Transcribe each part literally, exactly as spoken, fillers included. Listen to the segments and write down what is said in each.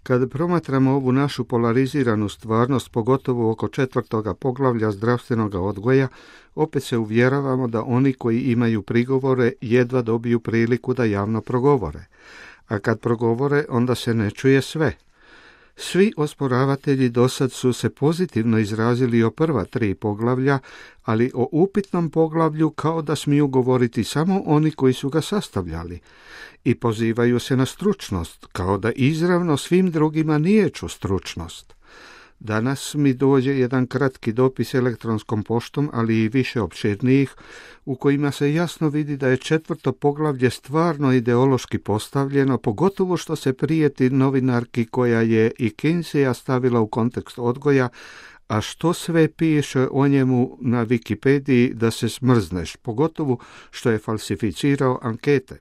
Kad promatramo ovu našu polariziranu stvarnost, pogotovo oko četvrtoga poglavlja zdravstvenog odgoja, opet se uvjeravamo da oni koji imaju prigovore jedva dobiju priliku da javno progovore. A kad progovore, onda se ne čuje sve. Svi osporavatelji dosad su se pozitivno izrazili o prva tri poglavlja, ali o upitnom poglavlju kao da smiju govoriti samo oni koji su ga sastavljali. I pozivaju se na stručnost, kao da izravno svim drugima niječu stručnost. Danas mi dođe jedan kratki dopis elektronskom poštom, ali i više opširnijih, u kojima se jasno vidi da je četvrto poglavlje stvarno ideološki postavljeno, pogotovo što se prijeti novinarki koja je i Kinseya stavila u kontekst odgoja, a što sve piše o njemu na Wikipediji da se smrzneš, pogotovo što je falsificirao ankete.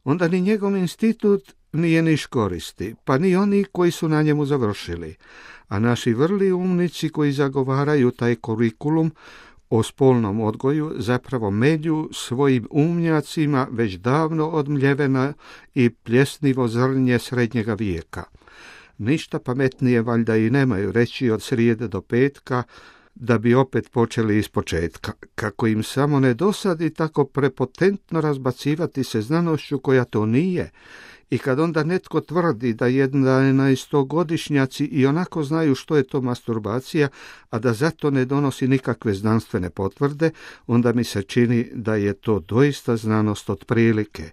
Onda ni njegov institut nije niš koristi, pa ni oni koji su na njemu završili. A naši vrli umnici koji zagovaraju taj kurikulum o spolnom odgoju zapravo melju svojim umnjacima već davno odmljevena i pljesnivo zrnje srednjega vijeka. Ništa pametnije valjda i nemaju reći od srijede do petka, da bi opet počeli ispočetka, kako im samo ne dosadi tako prepotentno razbacivati se znanošću koja to nije. I kad onda netko tvrdi da jednaestogodišnjaci i onako znaju što je to masturbacija, a da zato ne donosi nikakve znanstvene potvrde, onda mi se čini da je to doista znanost otprilike.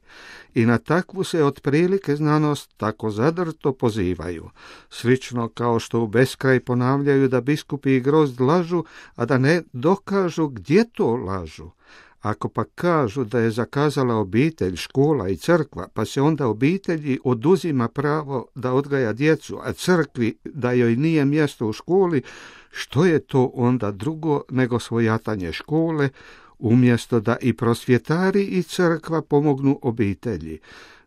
I na takvu se otprilike znanost tako zadrto pozivaju. Slično kao što u beskraj ponavljaju da biskupi i grozd lažu, a da ne dokažu gdje to lažu. Ako pa kažu da je zakazala obitelj, škola i crkva, pa se onda obitelji oduzima pravo da odgaja djecu, a crkvi da joj nije mjesto u školi, što je to onda drugo nego svojatanje škole, umjesto da i prosvjetari i crkva pomognu obitelji?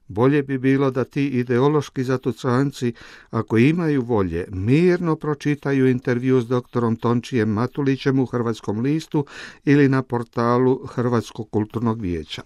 Bolje bi bilo da ti ideološki zatucanci, ako imaju volje, mirno pročitaju intervju s doktorom Tončijem Matulićem u Hrvatskom listu ili na portalu Hrvatskog kulturnog vijeća.